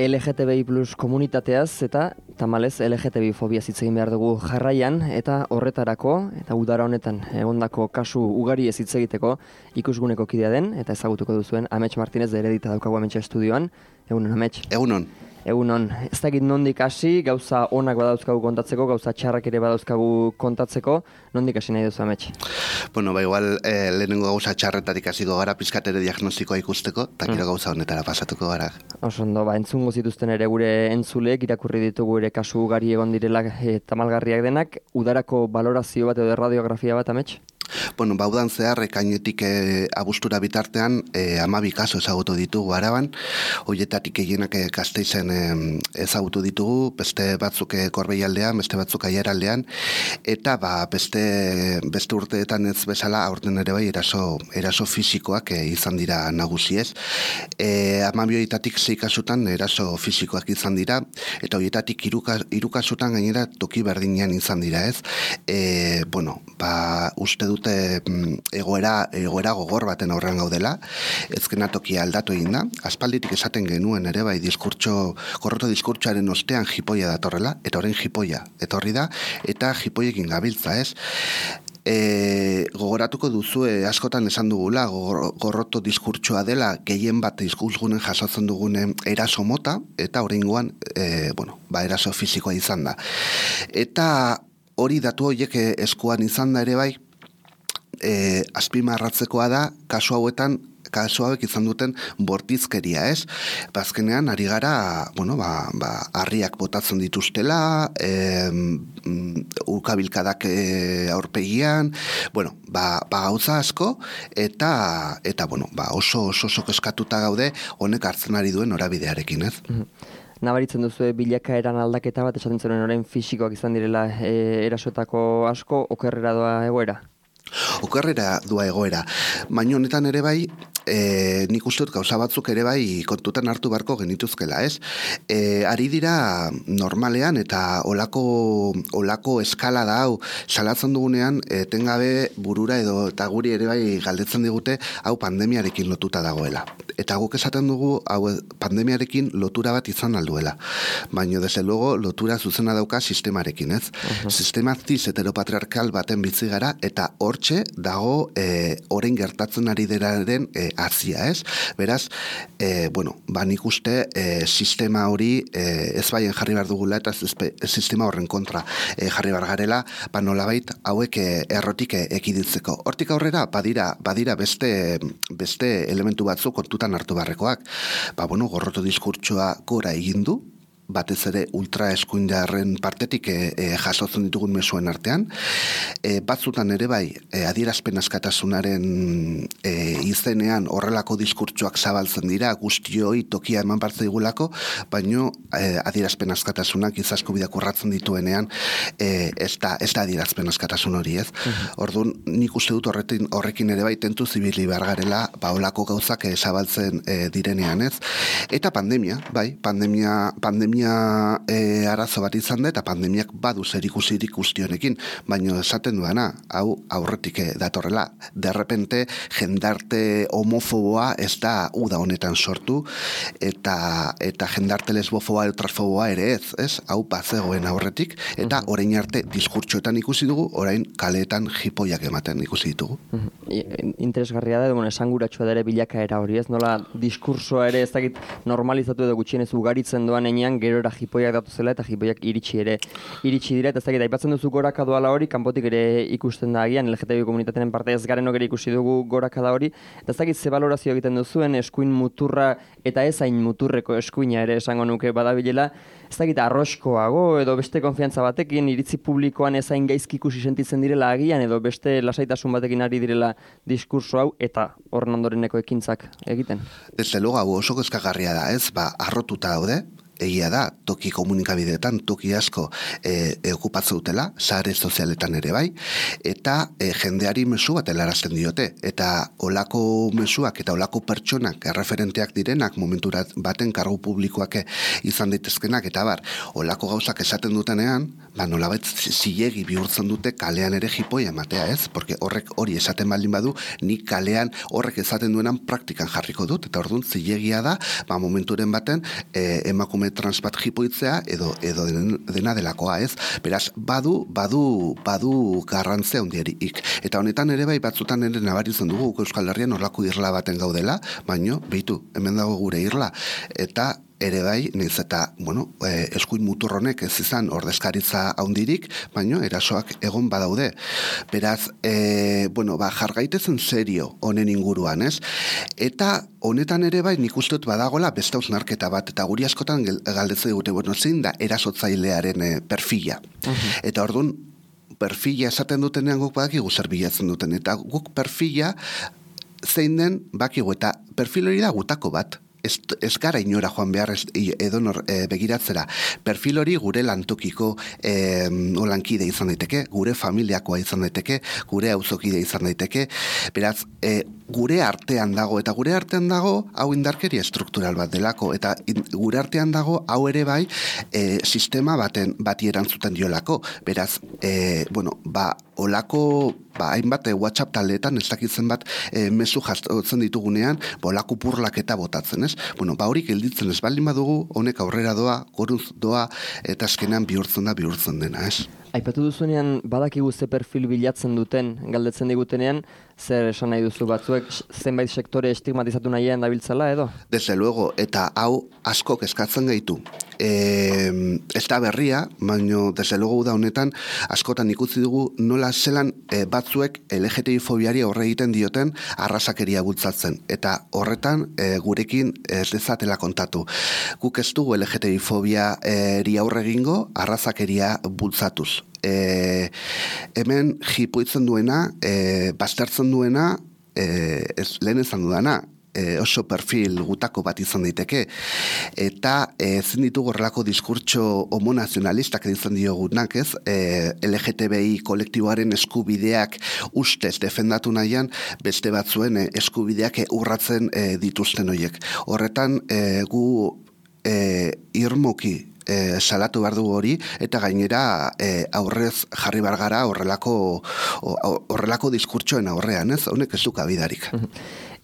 LGTBI plus komunitateaz eta tamalez LGTBI fobia hitz egin behar dugu jarraian, eta horretarako eta udara honetan egondako kasu ugari ez hitz egiteko ikusguneko kidea den eta ezagutuko duzuen Amets Martinez de Heredita daukagu Ametsa estudioan. Egunon, Amets. Egunon, ez dakit nondik hasi, gauza onak badauzkagu kontatzeko, gauza txarrak ere badauzkagu kontatzeko, nondik hasi nahi duzu, Amets? Bueno, igual lehenengo gauza txarretatik hasiko gara, pizkat ere diagnostikoa ikusteko, eta gero gauza honetara pasatuko gara. Oso ondo, entzungo zituzten ere gure entzuleek, irakurri ditugu ere kasu ugari egon direla tamalgarriak denak, udarako balorazio bat edo radiografia bat, Amets? Bueno, baudan zehar, ekainetik abustura bitartean, 12 kaso ezagutu ditugu Araban, horietatik gehienak Gasteizen ezagutu ditugu, beste batzuk Gorbeialdean, beste batzuk Aiaraldean, eta beste urteetan ez bezala, aurten ere bai, eraso fisikoak izan dira nagusi ez. 12 horietatik 6 kasutan eraso fisikoak izan dira, eta horietatik 3 kasutan gainera toki berdinean izan dira ez. Uste dute egoera gogor baten aurrean gaudela, ezkena tokia aldatu egin da, aspalditik esaten genuen ere bai gorroto diskurtsoaren ostean jipoia datorrela, eta orain jipoia etorri da, eta jipoiekin gabiltza ez. Gogoratuko duzue askotan esan dugula gorroto diskurtsoa dela gehien bat diskurtsunen jasotzen dugunen eraso mota, eta oraingoan eraso fisikoa izan da. Eta hori datu horiek eskuan izan da ere bai, azpimarratzekoa da kasu hauek izan duten bortizkeria, ez? Bazkenean ari gara, harriak botatzen dituztela, ukabilkadak aurpegian, gauza asko, eta oso eskatuta gaude honek hartzen ari duen norabidearekin, ez? Nabaritzen duzu bilakaeran aldaketa bat, esaten zuen orain fisikoak izan direla erasoetako asko, okerrera doa egoera? Okerrera doa egoera, baina honetan ere bai, nik uste dut gauza batzuk ere bai kontutan hartu beharko genituzkela, ez? Ari dira normalean eta olako eskala da hau salatzen dugunean, etengabe burura edo eta guri ere bai galdetzen digute hau pandemiarekin lotuta dagoela. Eta guk esaten dugu hau pandemiarekin lotura bat izan alduela. Baina desde luego lotura zuzena dauka sistemarekin, ez? Sistema cis heteropatriarkal baten bizi gara eta hortxe dago orain gertatzen ari deraren azia, ez? Beraz, nik uste sistema hori ez baien jarri behar dugula eta sistema horren kontra jarri behar garela, nolabait hauek errotik ekiditzeko. Hortik aurrera, badira beste elementu batzuk kontutan hartu beharrekoak. Gorroto diskurtsoa gora egin du, batez ere ultraeskuindarren partetik jasotzen ditugun mesuen artean. Batzutan ere bai, adierazpen askatasunaren izenean horrelako diskurtsoak zabaltzen dira, guztioi tokia eman partzaigulako, baino adierazpen askatasunak izasko bidak urratzen dituenean ez da adierazpen askatasun hori, ez? Orduan, nik uste dut horrekin ere bai tentu zibili behar garela, holako gauzak zabaltzen direnean, ez? Eta pandemia arazo bat izan da, eta pandemiak badu zerikusirik guztionekin, baina esaten duena, hau aurretik datorrela. Derrepente, jendarte homofoboa ez da uda honetan sortu, eta jendarte lesbofoboa, transfoboa ere ez? Hau bazegoen aurretik, eta orain arte diskurtsoetan ikusi dugu, orain kaleetan jipoiak ematen ikusi ditugu. Interesgarria da, esanguratsua da ere bilakaera hori, ez? Nola diskursoa ere ez dakit normalizatu edo gutxienez ugaritzen doan enean, gerora jipoiak datu zela eta jipoiak iritsi dira, eta ez dakit, aipatzen duzu gorakada hori, kanpotik ere ikusten da agian, LGTBI komunitatearen parte ez garenok ere ikusi dugu gorakada hori, eta ez dakit ze balorazio egiten duzuen eskuin muturra eta ez hain muturreko eskuina ere esango nuke badabilela, ez dakit arroskoago edo beste konfiantza batekin, iritzi publikoan ez hain gaizki ikusi sentitzen direla agian, edo beste lasaitasun batekin ari direla diskurso hau, eta horren ondoreneko ekintzak egiten. Desde luego, hau oso kezkagarria da, ez? Arrotuta daude, egia da, toki komunikabideetan, toki asko okupatzen dutela, sare sozialetan ere bai, eta jendeari mezu bat helarazten diote, eta olako mezuak eta olako pertsonak erreferenteak direnak, momentu baten kargu publikoak izan daitezkenak, eta bar, olako gauzak esaten dutenean, nolabait zilegi bihurtzen dute kalean ere jipoia ematea, ez? Porque horrek hori esaten baldin badu, nik kalean horrek esaten duenan praktikan jarriko dut, eta orduan zilegia da, momenturen baten emakume trans bat jipoitzea edo dena delakoa, ez? Beraz, badu garrantzea handierik. Eta honetan ere bai batzutan ere nabaritzen dugu Euskal Herrian horlako irla baten gaudela, baino, behitu, hemen dago gure irla. Eta ere bai, naiz eta, eskuin muturronek ez izan ordezkaritza handirik, baino erasoak egon badaude. Beraz, jargaitezen serio honen inguruan, ez? Eta honetan ere bai, nik uste dut badagola beste hausnarketa bat, eta guri askotan galdetzen dute, zein da erasotzailearen perfila. Eta orduan, perfila esaten dutenean guk badakigu zer bilatzen duten, eta guk perfila zein den bakigu, eta perfil hori da gutako bat. Ez gara inora joan behar edonor begiratzera. Perfil hori gure lantokiko olankide izan daiteke, gure familiakoa izan daiteke, gure auzokide izan daiteke, beraz, gure artean dago, eta gure artean dago hau indarkeria estruktural bat delako, eta gure artean dago hau ere bai sistema bati erantzuten diolako, beraz, olako hainbat WhatsApp taldeetan ez dakitzen bat mezu jasotzen ditugunean, olako purlaketa botatzen, ez? Hori gelditzen ez baldin badugu, honek aurrera doa, goruz doa, eta azkenean bihurtzen dena, ez? Aipatu duzunean, badakigu ze perfil bilatzen duten, galdetzen digutenean, zer esan nahi duzu batzuek, zenbait sektore estigmatizatu nahian dabiltzala edo? Desde luego, eta hau askok eskatzen gaitu. Ez da berria, baina desde luego da honetan, askotan ikusi dugu nola zelan batzuek LGTBI fobiari aurre egiten dioten arrasakeria bultzatzen. Eta horretan gurekin ez dezatela kontatu. Guk ez dugu LGTBI fobiari aurre egingo arrasakeria bultzatuz. Hemen jipoitzen duena, baztertzen duena, lehen esan dudana, oso perfil gutako bat izan daiteke, eta ezin ditugu horrelako diskurtso homonazionalistak izan diogunak, ez? LGTBI kolektiboaren eskubideak ustez defendatu nahian, beste batzuen eskubideak urratzen dituzten horiek. Horretan, gu irmoki salatu behar dugu hori, eta gainera aurrez jarri behar gara horrelako diskurtsoen aurrean, ez? Honek ez du kabidarik.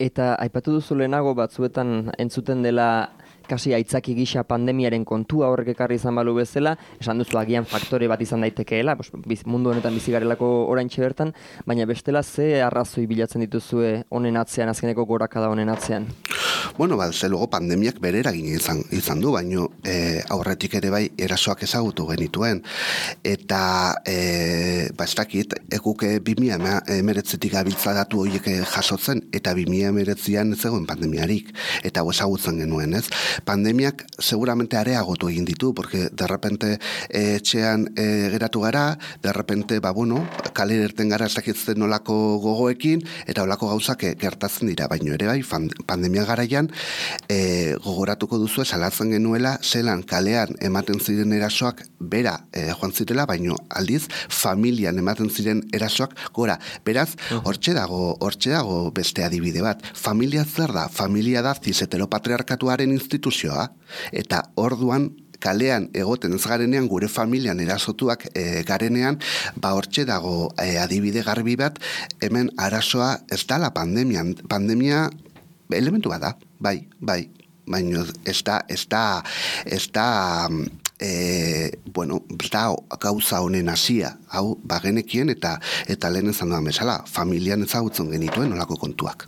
Eta aipatu duzu lehenago batzuetan entzuten dela kasi aitzaki gisa pandemiaren kontua horrek ekarri izan balu bezala, esan duzu agian faktore bat izan daitekeela, mundu honetan bizi garelako oraintxe bertan, baina bestela ze arrazoi bilatzen dituzue honen atzean, azkeneko gorakada honen atzean? Ze luego pandemiak bere eragina izan du, baino aurretik ere bai erasoak ezagutu genituen. Eta, ez dakit, ekuke 2019 abiltza datu horiek jasotzen, eta 2019an ez egoen pandemiarik, eta ezagutzen genuen, ez? Pandemiak seguramente areagotu egin ditu, porque de repente etxean geratu gara, de repente, kalera irten gara ez dakitzen nolako gogoekin, eta olako gauzak gertatzen dira, baino ere bai, pandemia garaian gogoratuko duzu salatzen genuela, zelan kalean ematen ziren erasoak bera joan zirela, baino aldiz familian ematen ziren erasoak gora. Beraz, hortxe dago beste adibide bat. Familia zer da? Familia da cis-heteropatriarkatuaren instituzioa, eta orduan kalean egoten ez garenean, gure familian erasotuak garenean, hortxe dago adibide garbi bat, hemen arazoa ez dala pandemian. Pandemia elementu bat da, bai, baina ez da gauza honen hasia, hau bagenekien eta lehen ezan duan bezala, familian ezagutzen genituen olako kontuak.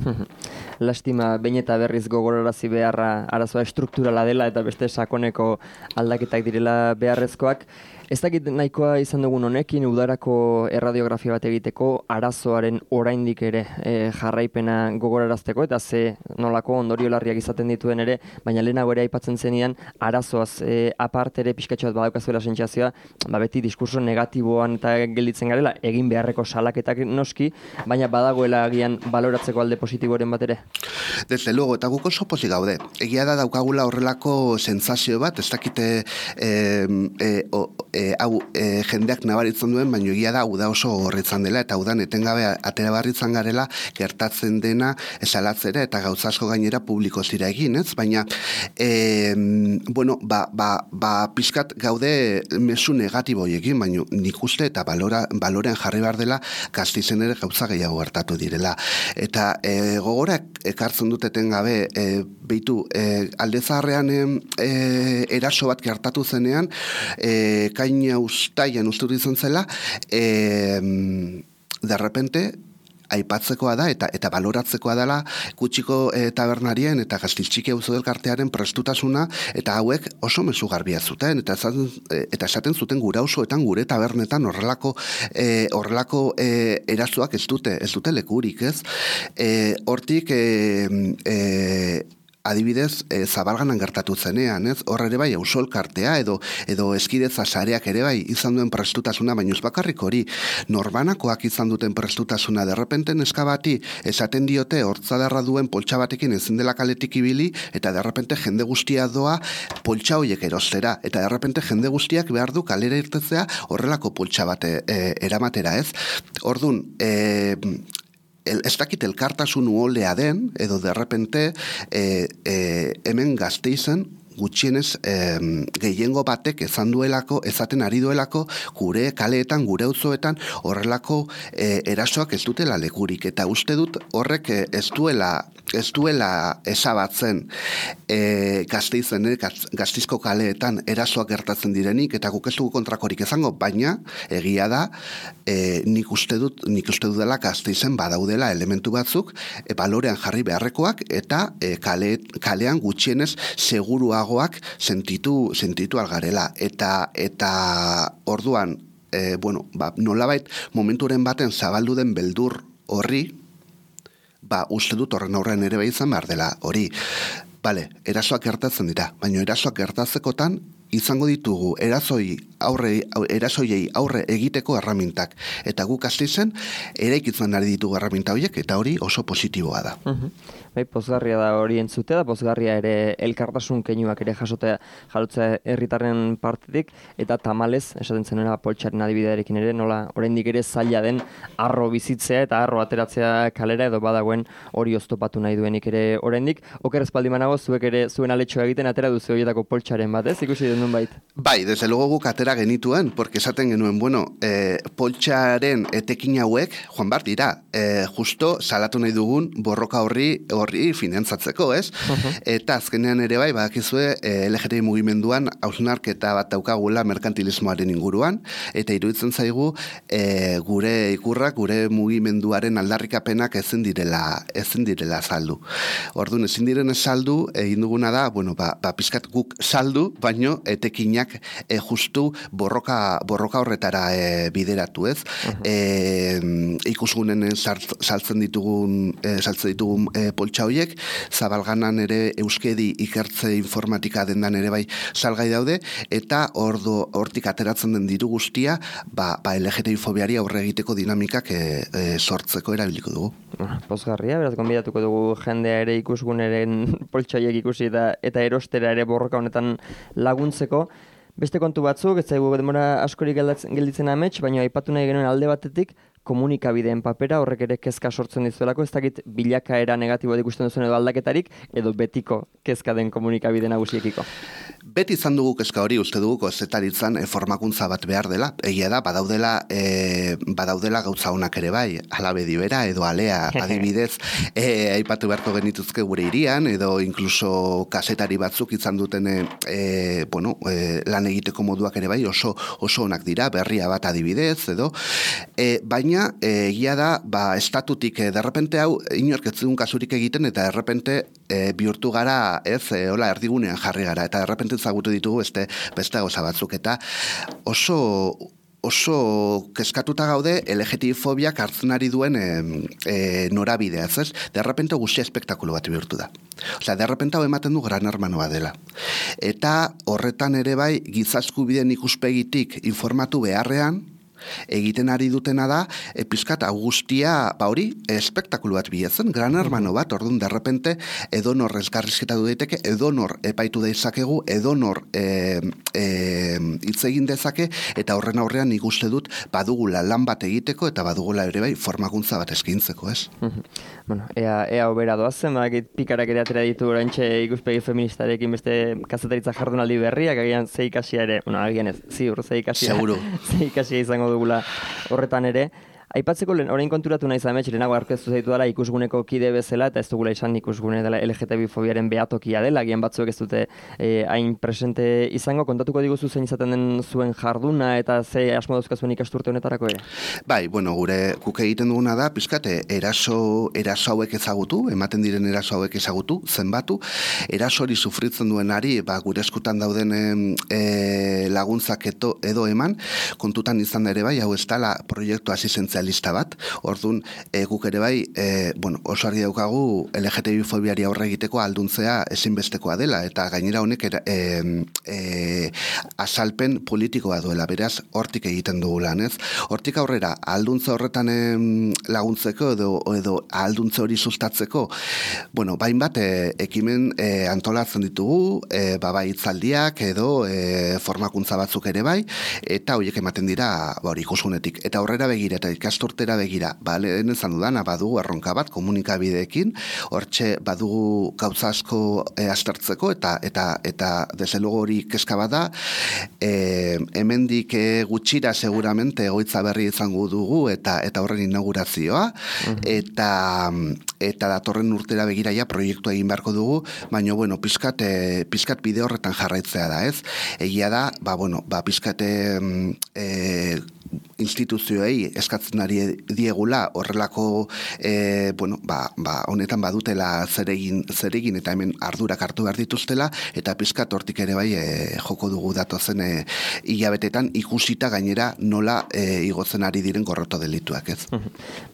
Lastima, behin eta berriz gogorarazi beharra arazoa estrukturala dela eta beste sakoneko aldaketak direla beharrezkoak. Ez dakit nahikoa izan dugun honekin, udarako erradiografia bat egiteko arazoaren oraindik ere jarraipena gogorarazteko, eta ze nolako ondorio larriak izaten dituen ere, baina lehenago ere aipatzen zenidan, arazoaz aparte ere pixkatxo bat badaukazuela sentsazioa, beti diskurso negatiboan eta gelditzen garela, egin beharreko salaketak noski, baina badagoela agian baloratzeko alde positiboren bat ere. Desde luego, eta guk oso pozik gaude. Egia da daukagula horrelako sentsazio bat, ez dakite jendeak nabaritzen duen, baina egia da hau da oso horretzan dela, eta hau da etengabe atera barritzan garela, gertatzen dena esalatzera, eta gauza asko gainera publiko zira egin, ez? Baina, bueno, pixkat gaude mezu negatiboiekin, baina nik uste eta balorean jarri behar dela Gasteizen ere gauza gehiago gertatu direla. Eta gogorak ekartzen duteten gabe, beitu, alde zaharrean eraso bat gertatu zenean, kaina ustaian uste dut izan zela, de repente, aipatzekoa da eta baloratzekoa dela Kutxiko tabernarien eta Gasteiz-Txiki auzo elkartearen prestutasuna, eta hauek oso mezu garbia zuten eta esaten zuten gure auzoetan, gure tabernetan horrelako erasoak ez dute lekurik, ez? Hortik adibidez, Zabalganan gertatu zenean, ez? Hor ere bai, auzo elkartea edo eskidetza sareak ere bai izan duen prestutasuna, baina ez bakarrik hori, norbanakoak izan duten prestutasuna, derrepente neska bati esaten diote hortzadarra duen poltsa batekin ezin dela kaletik ibili, eta derrepente jende guztia doa poltsa hoiek erostera, eta derrepente jende guztiak behar du kalera irtetzea horrelako poltsa bate eramatera, ez? Orduan, ez dakit elkartasun uolea den, edo derrepente hemen Gasteizen gutxienez gehiengo batek ezaten ari duelako gure kaleetan, gure auzoetan horrelako erasoak ez dutela lekurik, eta uste dut horrek ez duela ezabatzen Gasteizen, Gasteizko kaleetan erasoak gertatzen direnik, eta guk ez dugu kontrakorik izango, baina egia da nik uste dut dela Gasteizen badaudela elementu batzuk balorean jarri beharrekoak, eta kalean gutxienez seguruagoak sentitu algarela, eta orduan nolabait momenturen baten zabaldu den beldur horri, uste dut horren aurrean ere bai izan behar dela hori. Bale, erasoak gertatzen dira, baina erasoak gertatzekotan izango ditugu erasoiei aurre egiteko erramintak, eta guk Gasteizen eraikitzen ari ditugu erraminta horiek, eta hori oso positiboa da. Bai, pozgarria da hori entzutea, da pozgarria ere elkartasun keinuak ere jasotzea herritarren partetik, eta tamalez, esaten zenera poltsaren adibidearekin ere, nola oraindik ere zaila den arro bizitzea eta arro ateratzea kalera, edo badagoen hori oztopatu nahi duenik ere oraindik. Oker espaldi manago, zuek ere zuen aletxoa egiten atera duzu horietako poltsaren bat, ez? Ikusi den bait. Bai, desde luego guk atera genituen, porque esaten genuen, poltsaren etekin hauek, joan bar dira, justo salatu nahi dugun borroka horri finantzatzeko, ez? Eta azkenean ere bai, badakizue LGTBI mugimenduan hausnarketa bat daukagula merkantilismoaren inguruan, eta iruditzen zaigu gure ikurrak, gure mugimenduaren aldarrikapenak ezin direla saldu. Orduan, ezin diren saldu, egin duguna da, pizkat guk saldu, baino etekinak justu borroka horretara bideratu, ez? Ikusgunen saltzen ditugun poltsa horiek, Zabalganan ere euskedi ikertze informatika dendan ere bai salgai daude, eta hortik ateratzen den diru guztia, LGTBI fobiari aurre egiteko dinamikak sortzeko erabiliko dugu. Pozgarria, beraz, gonbidatuko dugu jendea ere ikusguneren poltsa horiek ikusi eta erostera ere borroka honetan laguntzeko. Beste kontu batzuk, ez zaigu denbora askorik gelditzen amets, baina aipatu nahi genuen alde batetik, komunikabideen papera, horrek ere kezka sortzen dizuelako, ez dakit bilakaera negatiboa ikusten duzuen edo aldaketarik, edo betiko kezka den komunikabide nagusiekiko. Beti izan dugu kezka hori, uste dugu kozetaritzan formakuntza bat behar dela, egia da, badaudela gauza honak ere bai, alabedi bera, edo alea, adibidez, aipatu beharko genituzke gure hirian, edo inkluso kasetari batzuk izan duten lan egiteko moduak ere bai, oso onak dira, berria bat adibidez, edo, baina egia da, estatutik derrepente hau inork ez dugun kasurik egiten, eta derrepente bihurtu gara, hola erdigunean jarri gara, eta derrepente zagutu ditugu beste gauza batzuk, eta oso kezkatuta gaude LGTBI fobiak hartzen ari duen norabidea, ez? Derrepente guztia espektakulo bat bihurtu da. Osea, derrepente hau ematen du gran hermanoa dela. Eta horretan ere bai, giza eskubideen ikuspegitik informatu beharrean, egiten ari dutena da, pizkat Augustia, hori, espektakulu bat bilatzen, gran hermano bat, orduan derrepente, edonor elkarrizketa du daiteke, edonor epaitu dezakegu, edonor hitz egin dezake, eta horren aurrean nik uste dut badugula lan bat egiteko, eta badugula ere bai formakuntza bat eskaintzeko, ez? Bueno, ea obera doazen, pikarak ere atera ditu oraintxe ikuspegi feministarekin beste kazetaritza jardunaldi berriak, agian ze ikasia ere, agian ez, ziur, ze ikasia izango dugula horretan ere. Aipatzeko orain konturatu naiz amets, lehenago aurkeztu zaitu dela ikusguneko kide bezala, eta ez dugula izan ikusgune dela LGTB-fobiaren behatokia dela, agian batzuek ez dute hain presente izango. Kontatuko diguzu zein izaten den zuen jarduna, eta ze asmo dauzkazuen ikasturte honetarako ere? Bai, guk egiten duguna da, pizkate, eraso hauek ezagutu, ematen diren eraso hauek ezagutu, zenbatu, eraso hori sufritzen duenari, gure eskutan dauden laguntzak edo eman, kontutan izan ere bai, hau ez dela proiektu asistenzialista bat, orduan guk ere bai, oso argi daukagu LGTB-fobiari aurre egiteko alduntzea ezinbestekoa dela, eta gainera honek azalpen politikoa duela, beraz, hortik egiten dugu lan, ez? Hortik aurrera, alduntze horretan laguntzeko edo alduntze hori sustatzeko, bainbat ekimen antolatzen ditugu, bai hitzaldiak edo formakuntza batzuk ere bai, eta horiek ematen dira ikusgunetik. Eta aurrera begira, eta ikasturtera begira, lehen ezan dudana, badugu erronka bat komunikabideekin, hortxe badugu gauza asko aztertzeko, eta desde luego hori kezka bada, hemendik gutxira seguramente egoitza berri izango dugu, eta horren inaugurazioa, eta datorren urtera begira ja proiektua egin beharko dugu, baina, pizkat bide horretan jarraitzea da, ez? Egia da, pizkat instituzioei eskatzen ari diegula horrelako honetan badutela zeregin eta hemen ardurak hartu behar dituztela, eta pizkat hortik ere bai joko dugu datozen hilabetetan ikusita gainera nola igotzen ari diren gorroto delituak, ez?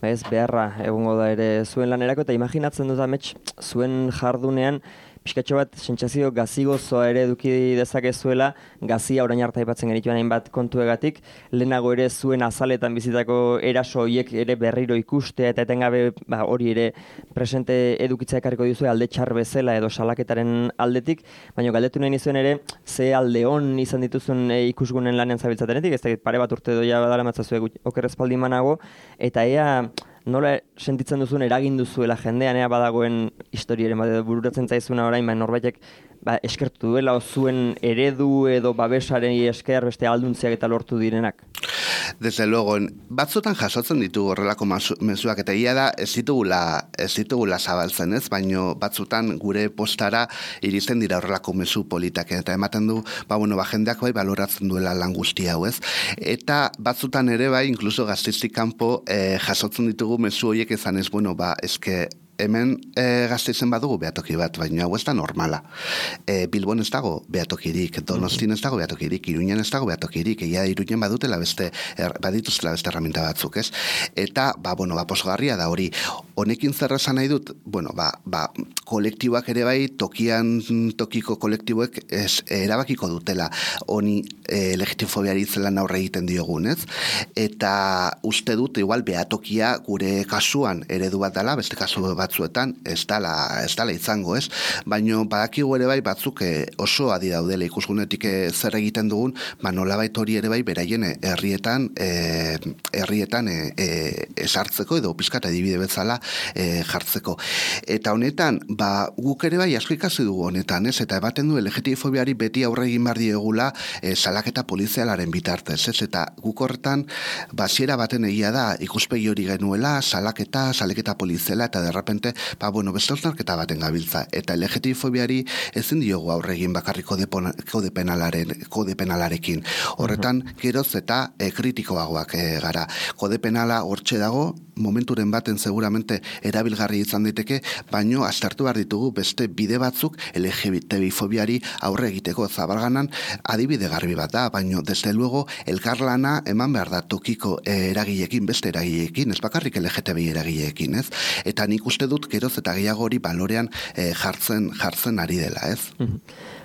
Ez beharra egongo da ere zuen lanerako, eta imaginatzen dut amets zuen jardunean pixkatxo bat, sentsazio gazigozoa ere eduki dezakezuela, gazia orain arte aipatzen genituen hainbat kontuegatik, lehenago ere zuen azaletan bizitako eraso horiek ere berriro ikustea, eta etengabe hori ere presente edukitzea ekarriko dizue alde txar bezala edo salaketaren aldetik, baina galdetu nahi nizuen ere, ze alde on izan dituzun ikusgunen lanean zabiltzatenetik, ez da pare bat urte doia badala matzazue okerrezpaldi manago, eta ea nola sentitzen duzuen eragin duzuela jendean badagoen historiaren bat edo bururatzen zaizuna orain, norbaitek eskertu duela zuen eredu edo babesaren esker beste alduntziak eta lortu direnak? Desde luego, batzutan jasotzen ditugu horrelako mezuak, eta ia da ez ditugula zabaltzen, ez? Baino batzutan gure postara iristen dira horrelako mezu politak, eta ematen du, jendeak bai baloratzen duela lan guzti hau, ez? Eta batzutan ere bai, inkluso Gasteizik kanpo jasotzen ditugu mezu horiek ezan ez, eske hemen Gasteizen badugu behatoki bat, baina hau ez da normala. Bilbon ez dago behatokirik, Donostin ez dago behatokirik, Iruñan ez dago behatokirik, egia Iruñan badutela badituztela beste herramienta batzuk, ez? Eta, posgarria da hori. Honekin zer esan nahi dut, kolektiboak ere bai, tokiko kolektiboek erabakiko dutela honi LGTB-fobiari zelan aurre egiten diogun, ez? Eta uste dut, igual, behatokia gure kasuan eredu bat dela, beste kasu batzuetan ez dala izango, ez? Baina badakigu ere bai batzuk oso adi daudela ikusgunetik zer egiten dugun, nolabait hori ere bai beraien herrietan esartzeko edo pizkat adibide bezala jartzeko. Eta honetan, guk ere bai asko ikasi dugu honetan, ez? Eta ematen du LGTB-fobiari beti aurre egin behar diegula salaketa polizialaren bitartez, ez? Eta guk horretan, hasiera baten egia da ikuspegi hori genuela, salaketa poliziala, eta derrepente, beste osnarketa baten gabiltza. Eta LGTB-fobiari ezin diogu aurre egin bakarrik kode penalarekin. Horretan, geroz eta kritikoagoak gara. Kode penala hortxe dago, momenturen baten seguramente erabilgarri izan daiteke, baino aztertu behar ditugu beste bide batzuk LGTB-fobiari aurre egiteko zabalganan adibide garbi bat da, baino desde luego elkarlana eman behar da tokiko eragileekin, beste eragileekin, ez bakarrik LGTB eragileekin, ez? Eta nik uste dut geroz eta gehiago hori balorean jartzen ari dela, ez?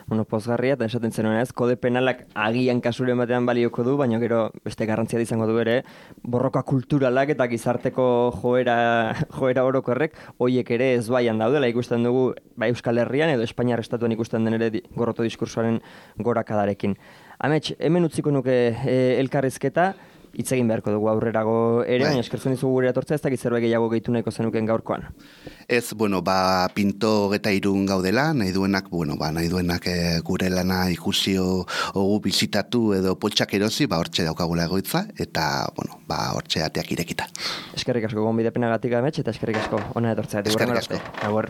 pozgarria, eta esaten zenuen ez, kode penalak agian kasuren batean balioko du, baina gero beste garrantzia izango du ere, borroka kulturalak eta gizarteko joera orokorrek, hoiek ere ez baian daudela, ikusten dugu bai Euskal Herrian edo Espainiar estatuan ikusten den ere gorroto diskursoaren gorakadarekin. Amets, hemen utziko nuke elkarrizketa, hitz egin beharko dugu aurrerago ere, baina eskertzen dizugu gure atortzea, ez dakit zerbait gehiago gehitu nahiko zenuken gaurkoan. Ez, pinto eta irun gaudela, nahi duenak gure lana ikusio ogu bizitatu edo potxak erosi, hortxe daukagula egoitza, eta, hortxe ateak irekita. Eskerrik asko gonbidapenagatik Amets, eta eskerrik asko hona etortzea. Eskerrik asko. Agur.